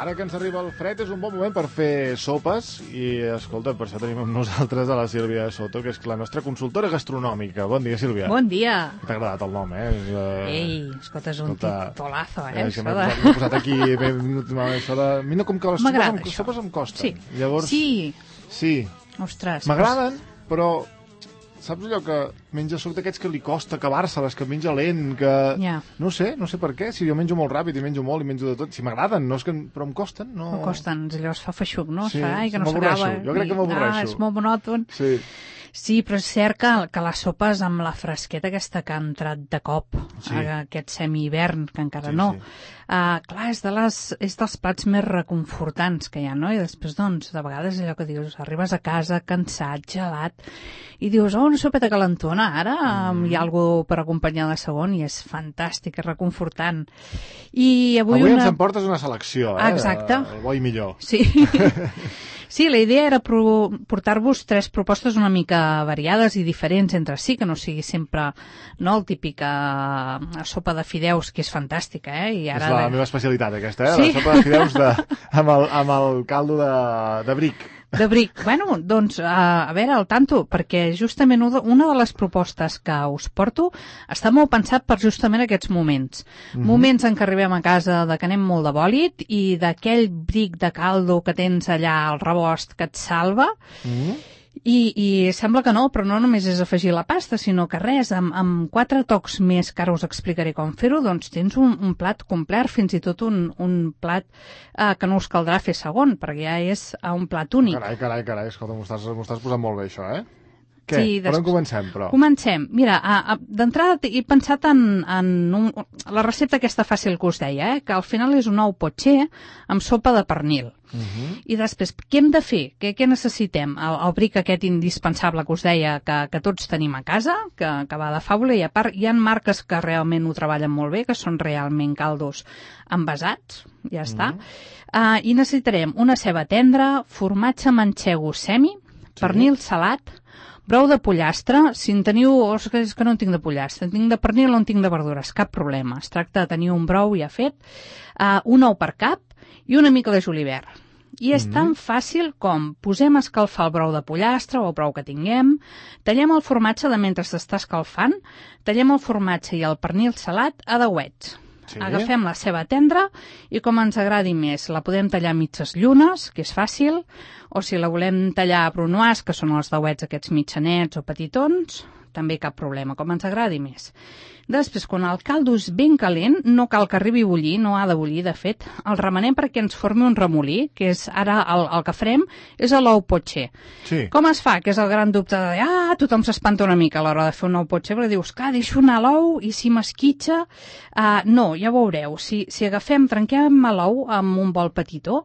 Ara que ens arriba el fred és un bon moment per fer sopes i, escolta, per això tenim amb nosaltres a la Sílvia Soto, que és la nostra consultora gastronòmica. Bon dia, Sílvia. Bon dia. T'ha agradat el nom, Ei, escolta, és un titolazo, És que m'he posat aquí, això de... Mira com que les sopes em costen. Sí. Llavors, sí. Ostres. M'agraden, però... Saps allò que menja soc d'aquests que li costa acabar-se-les, que menja lent, que... Yeah. No sé per què, si jo menjo molt ràpid i menjo molt i menjo de tot, si m'agraden, no és que... però em costen, no... Em costen, allò es fa feixuc, no? Sí, que no s'acaba. Jo crec que m'avorreixo. És molt monòton. Sí, però és cert que les sopes amb la fresqueta aquesta que ha entrat de cop, aquest semi-hivern, que encara no, clar, és dels plats més reconfortants que hi ha, no? I després, doncs, de vegades allò que dius, arribes a casa cansat, gelat, i dius, una sopeta calentona, ara hi ha alguna per acompanyar de segon, i és fantàstic, és reconfortant. I avui ens emportes una selecció, Exacte. El bo i millor. Sí. Sí, la idea era portar-vos 3 propostes una mica variades i diferents entre si, que no sigui sempre el típic sopa de fideus, que és fantàstica, I ara és la meva especialitat, aquesta, Sí? La sopa de fideus amb el caldo de bric. De bric. Bueno, doncs, a veure, al tanto, perquè justament una de les propostes que us porto està molt pensat per justament aquests moments. Moments en què arribem a casa de que anem molt de bòlit i d'aquell bric de caldo que tens allà al rebost que et salva. I sembla que no, però no només és afegir la pasta, sinó que res, amb 4 tocs més, que ara us explicaré com fer-ho, doncs tens un plat complet, fins i tot un plat que no us caldrà fer segon, perquè ja és un plat únic. Carai, escolta, m'ho estàs posant molt bé, això, Què? Sí, per on comencem, però? Comencem. Mira, d'entrada he pensat en la recepta aquesta fàcil que us deia, que al final és un ou potxer amb sopa de pernil. I després, què hem de fer? Què necessitem? El bric aquest indispensable que us deia que tots tenim a casa, que va de fàbula, i a part hi ha marques que realment ho treballen molt bé, que són realment caldos envasats, ja està. I necessitarem una ceba tendra, formatge manxego semi, pernil salat, brou de pollastre, si en teniu... És que no en tinc de pollastre, en tinc de pernil o en tinc de verdures, cap problema. Es tracta de tenir un brou ja fet, un ou per cap i una mica de julivert. I és tan fàcil com posem a escalfar el brou de pollastre o el brou que tinguem, tallem el formatge de mentre s'està escalfant, tallem el formatge i el pernil salat a dauets. Agafem la ceba tendra i com ens agradi més. La podem tallar a mitges llunes, que és fàcil, o si la volem tallar a brunoise, que són els dauets aquests mitjanets o petitons, també cap problema, com ens agradi més. Després, quan el caldo és ben calent, no cal que arribi a bullir, no ha de bullir, de fet, el remenem perquè ens formi un remolí, que és ara el que farem, és l'ou potxer. Com es fa? Que és el gran dubte de tothom s'espanta una mica a l'hora de fer un ou potxer, perquè dius, clar, deixo anar l'ou i si m'esquitxa... No, ja ho veureu, si agafem, trenquem l'ou amb un bol petitó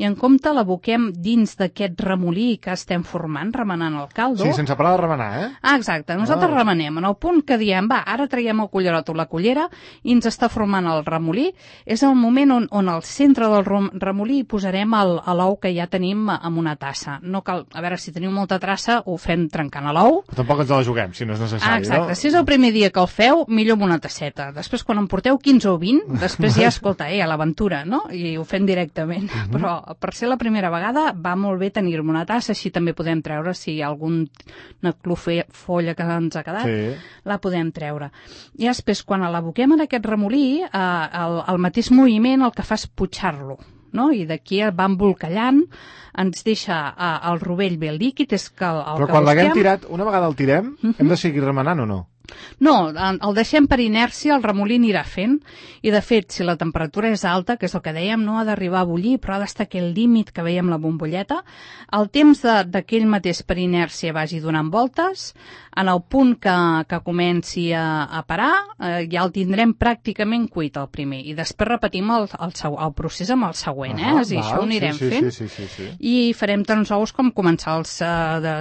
i en compte l'aboquem dins d'aquest remolí que estem formant, remenant el caldo... Sí, sense parar de remenar, Exacte, nosaltres remenem. En el punt que diem, ara traiem el cullerot o la cullera i ens està formant el remolí, és el moment on al centre del remolí hi posarem l'ou que ja tenim en una tassa. No cal, a veure, si teniu molta traça ho fem trencant l'ou. Tampoc ens la juguem, si no és necessari, Exacte, si és el primer dia que el feu, millor amb una tasseta. Després, quan en porteu 15 o 20, després ja, escolta, a l'aventura, no? I ho fem directament. Però per ser la primera vegada va molt bé tenir-me una tassa, així també podem treure si hi ha alguna folla que ens ha quedat, la podem treure. I després, quan l'aboquem en aquest remolí, el mateix moviment el que fa és putxar-lo, no? I d'aquí va embolcallant, ens deixa el rovell ben líquid, és que el Però quan l'haguem tirat, una vegada el tirem, hem de seguir remenant o no? No, el deixem per inèrcia, el remolí anirà fent, i de fet, si la temperatura és alta, que és el que dèiem, no ha d'arribar a bullir, però ha d'estar aquell límit que veiem la bombolleta, el temps d'aquell mateix per inèrcia vagi donant voltes, en el punt que comenci a parar, ja el tindrem pràcticament cuit el primer, i després repetim el procés amb el següent, és a dir, això ho anirem fent, i farem tants ous com començar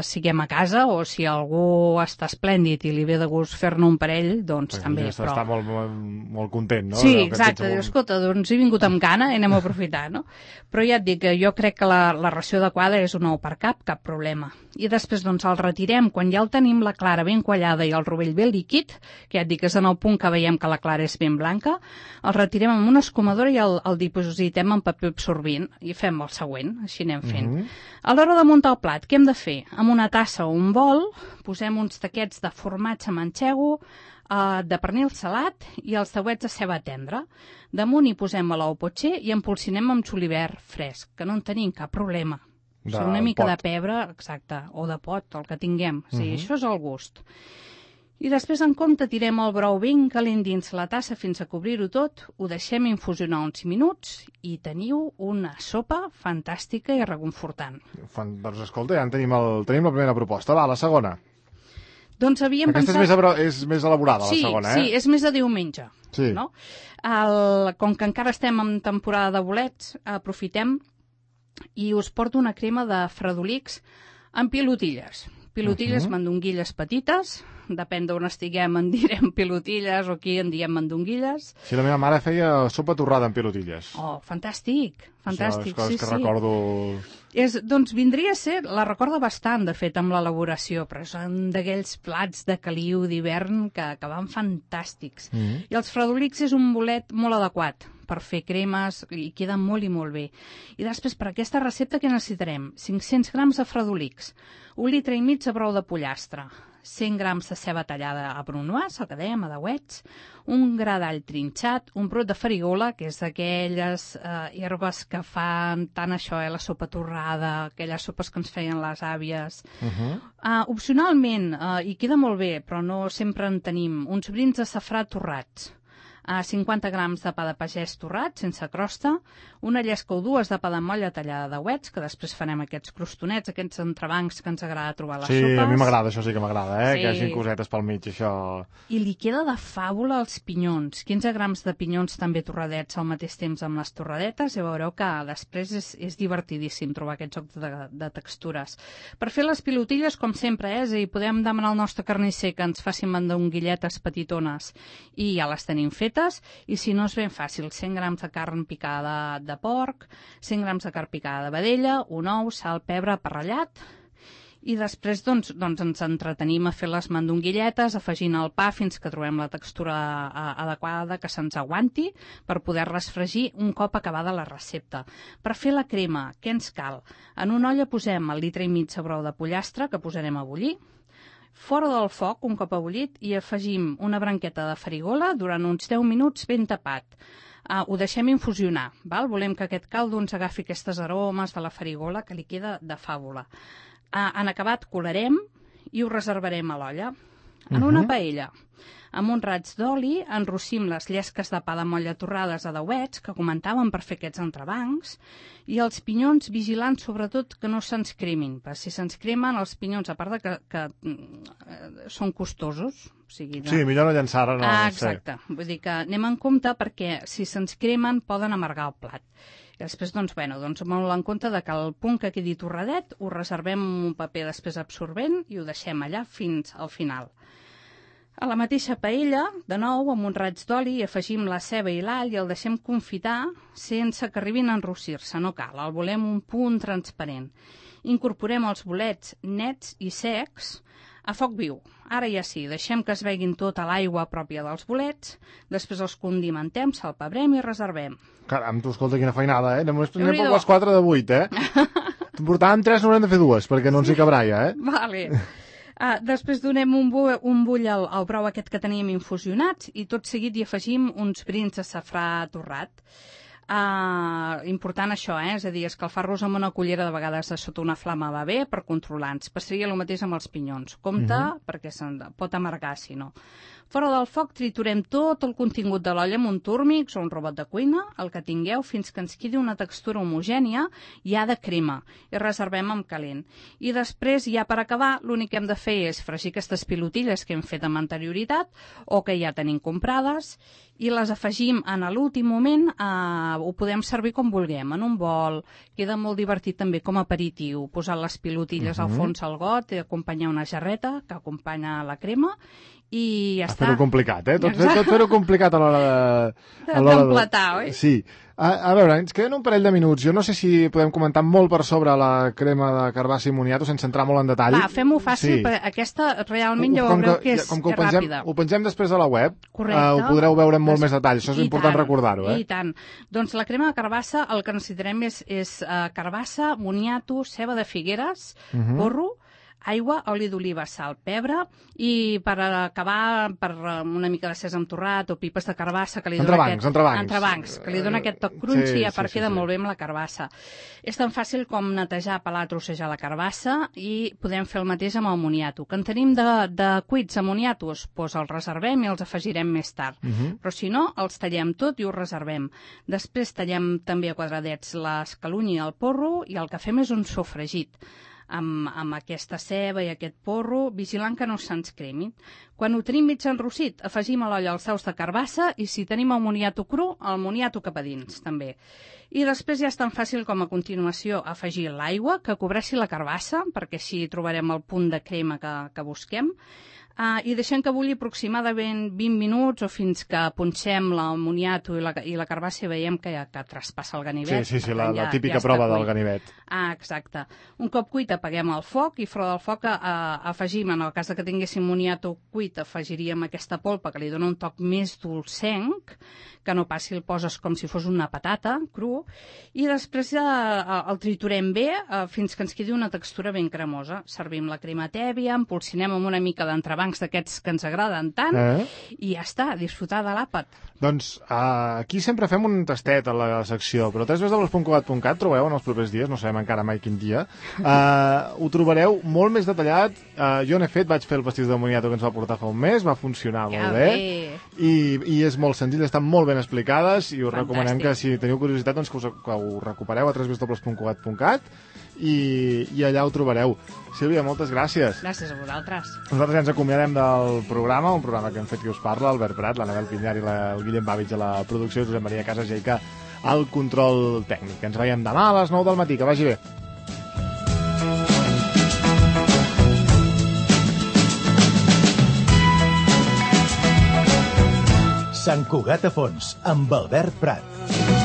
siguem a casa, o si algú està esplèndid i li ve de gust vols fer-ne un parell, doncs també. Però... Està molt content, no? Sí, exacte. Diu, escolta, doncs he vingut amb gana i anem a aprofitar, no? Però ja et dic que jo crec que la ració adequada és un ou per cap problema. I després, doncs, el retirem quan ja el tenim la clara ben quallada i el rovell ben líquid, que ja et dic que és en el punt que veiem que la clara és ben blanca, el retirem amb una escumadora i el dipositem en paper absorbint i fem el següent, així anem fent. A l'hora de muntar el plat, què hem de fer? Amb una tassa o un bol posem uns taquets de formatge manxego, de pernil salat i els dauets de ceba tendra. Damunt hi posem l'ou potxer i empolsinem amb julivert fresc, que no en tenim cap problema. O sigui, una mica de pebre, exacte, o de pot, el que tinguem. O sigui, això és el gust. I després, en compte, tirem el brou ben calent dins la tassa fins a cobrir-ho tot, ho deixem infusionar uns minuts i teniu una sopa fantàstica i reconfortant. Doncs escolta, ja tenim la primera proposta. Va, la segona. Doncs havíem pensat... Aquesta és més elaborada, la segona, Sí, és més de diumenge. Sí. No? Com que encara estem en temporada de bolets, aprofitem i us porto una crema de fredolics amb pilotilles. Pilotilles, mandonguilles petites, depèn d'on estiguem, en direm pilotilles o aquí en diem mandonguilles. Sí, la meva mare feia sopa torrada amb pilotilles. Oh, fantàstic, fantàstic. Això és coses que recordo... Doncs vindria a ser, la recorda bastant, de fet, amb l'elaboració, però són d'aquells plats de caliu d'hivern que van fantàstics. I els fredolics és un bolet molt adequat per fer cremes i queda molt i molt bé. I després, per aquesta recepta, què necessitarem? 500 grams de fredolics, 1,5 litre de brou de pollastre, 100 grams de ceba tallada a brunoise, el que dèiem, a dauets, un gra d'all trinxat, un brot de farigola, que és d'aquelles herbes que fan tant això, la sopa torrada, aquelles sopes que ens feien les àvies. Opcionalment, i queda molt bé, però no sempre en tenim, uns brins de safrà torrats, 50 grams de pa de pagès torrat, sense crosta, una llesca o dues de pa de molla tallada de dauets, que després farem aquests crostonets, aquests entrebancs que ens agrada trobar a les sopes. Sí, a mi m'agrada, això sí que m'agrada, que hi hagi cosetes pel mig, això... I li queda de fàbula els pinyons, 15 grams de pinyons també torradets al mateix temps amb les torradetes, i veureu que després és divertidíssim trobar aquest joc de textures. Per fer les pilotilles, com sempre, és a dir, podem demanar al nostre carnisser que ens facin mandonguilletes petitones i ja les tenim fetes, i si no és ben fàcil, 100 grams de carn picada de porc, 100 grams de carn picada de vedella, un ou, sal, pebre, aparrellat, i després doncs ens entretenim a fer les mandonguilletes, afegint el pa fins que trobem la textura adequada que se'ns aguanti per poder-les fregir un cop acabada la recepta. Per fer la crema, què ens cal? En una olla posem 1,5 litres de brou de pollastre que posarem a bullir, fora del foc, un cop ebullit, i afegim una branqueta de farigola durant uns 10 minuts ben tapat. Ho deixem infusionar, val? Volem que aquest caldo ens agafi aquestes aromes de la farigola que li queda de fàbula. En acabat colarem i ho reservarem a l'olla. En una paella, amb un raig d'oli, enrossim les llesques de pa de molla torrades a dauets, que comentàvem per fer aquests entrebancs, i els pinyons vigilant sobretot que no se'ns cremin, perquè si se'ns cremen els pinyons, a part de que són costosos, o sigui... Sí, millor no llançar-ho. Exacte, vull dir que anem en compte perquè si se'ns cremen poden amargar el plat. I després, doncs molt en compte que el punt que quedi torradet ho reservem en un paper després absorbent i ho deixem allà fins al final. A la mateixa paella, de nou, amb un raig d'oli, afegim la ceba i l'all i el deixem confitar sense que arribin a enrossir-se, no cal, el volem un punt transparent. Incorporem els bolets nets i secs a foc viu. Ara ja sí, deixem que es veguin tota l'aigua pròpia dels bolets, després els condimentem, salpebrem i reservem. Caram, tu, escolta, quina feinada, Només anem per les 4 de 8, T'en portàvem 3, n'haurem de fer 2, perquè no ens hi cabrà ja, Vale. Després donem un bull al brou aquest que teníem infusionats i tot seguit hi afegim uns brins de safrà torrat. Important això, és a dir, escalfar-los amb una cullera de vegades de sota una flama va bé per controlar-nos. Passaria el mateix amb els pinyons. Compte, perquè se'n pot amargar, si no. Fora del foc triturem tot el contingut de l'olla amb un túrmix o un robot de cuina, el que tingueu, fins que ens quedi una textura homogènia ja de crema, i reservem amb calent. I després, ja per acabar, l'únic que hem de fer és fregir aquestes pilotilles que hem fet amb anterioritat o que ja tenim comprades i les afegim en l'últim moment, ho podem servir com vulguem, en un bol, queda molt divertit també com a aperitiu, posar les pilotilles al fons al got i acompanyar una jarreta que acompanya la crema i ja està. Fer-ho complicat, Tot fer-ho complicat a l'hora de... D'empletar, oi? Sí. A veure, ens queden un parell de minuts. Jo no sé si podem comentar molt per sobre la crema de carbassa i moniato sense entrar molt en detall. Va, fem-ho fàcil, perquè aquesta realment ja veureu que és ràpida. Ho pengem després a la web, correcte. Ho podreu veure amb molt més detall. Això és important recordar-ho, I tant. Doncs la crema de carbassa, el que necessitarem és carbassa, moniato, ceba de figueres, porro, aigua, oli d'oliva, sal, pebre, i per acabar, per una mica de sèsam torrat o pipes de carbassa que li dona entrebancs, que li dona aquest toc crunchy, a part queda molt bé amb la carbassa. És tan fàcil com netejar, pelar, trossejar la carbassa i podem fer el mateix amb el moniato. Que en tenim de cuits amoniatos, doncs els reservem i els afegirem més tard. Però si no, els tallem tot i ho reservem. Després tallem també a quadradets l'escalunya i el porro i el que fem és un sofregit amb aquesta ceba i aquest porro, vigilant que no se'ns cremin. Quan ho tenim mig enrossit, afegim a l'olla els daus de carbassa i si tenim el moniato cru, el moniato cap a dins, també. I després ja és tan fàcil com a continuació afegir l'aigua que cobreixi la carbassa, perquè així trobarem el punt de crema que busquem, i deixem que bulli aproximadament 20 minuts o fins que punxem el moniato i la carbassa i veiem que traspassa el ganivet. Sí, la típica prova del ganivet. Exacte. Un cop cuit apaguem el foc i fora del foc afegim, en el cas que tinguéssim moniato cuit, afegiríem aquesta polpa que li dona un toc més dolcenc, que no passi el poses com si fos una patata cru, i després el triturem bé fins que ens quedi una textura ben cremosa. Servim la crema tèbia, empolsinem amb una mica d'entrebancs d'aquests que ens agraden tant, i ja està, disfrutar de l'àpat. Doncs aquí sempre fem un tastet a la secció, però www.cugat.cat trobeu en els propers dies, no sabem encara mai quin dia, ho trobareu molt més detallat. Jo n'he fet, vaig fer el pastís de moniato que ens va portar fa un mes, va funcionar molt bé, i és molt senzill, estan molt ben explicades, i us recomanem que si teniu curiositat doncs que ho recupereu a www.cugat.cat i allà ho trobareu. Sílvia, moltes gràcies. Gràcies a vosaltres. Nosaltres ja ens acomiadem del programa, un programa que hem fet qui us parla, Albert Prat, l'Anabel Pinyar i el Guillem Bàvitx a la producció, Josep Maria Casas-Jaica al control tècnic. Ens veiem demà a les 9 del matí, que vagi bé. Sant Cugat a Fons, amb Albert Prat.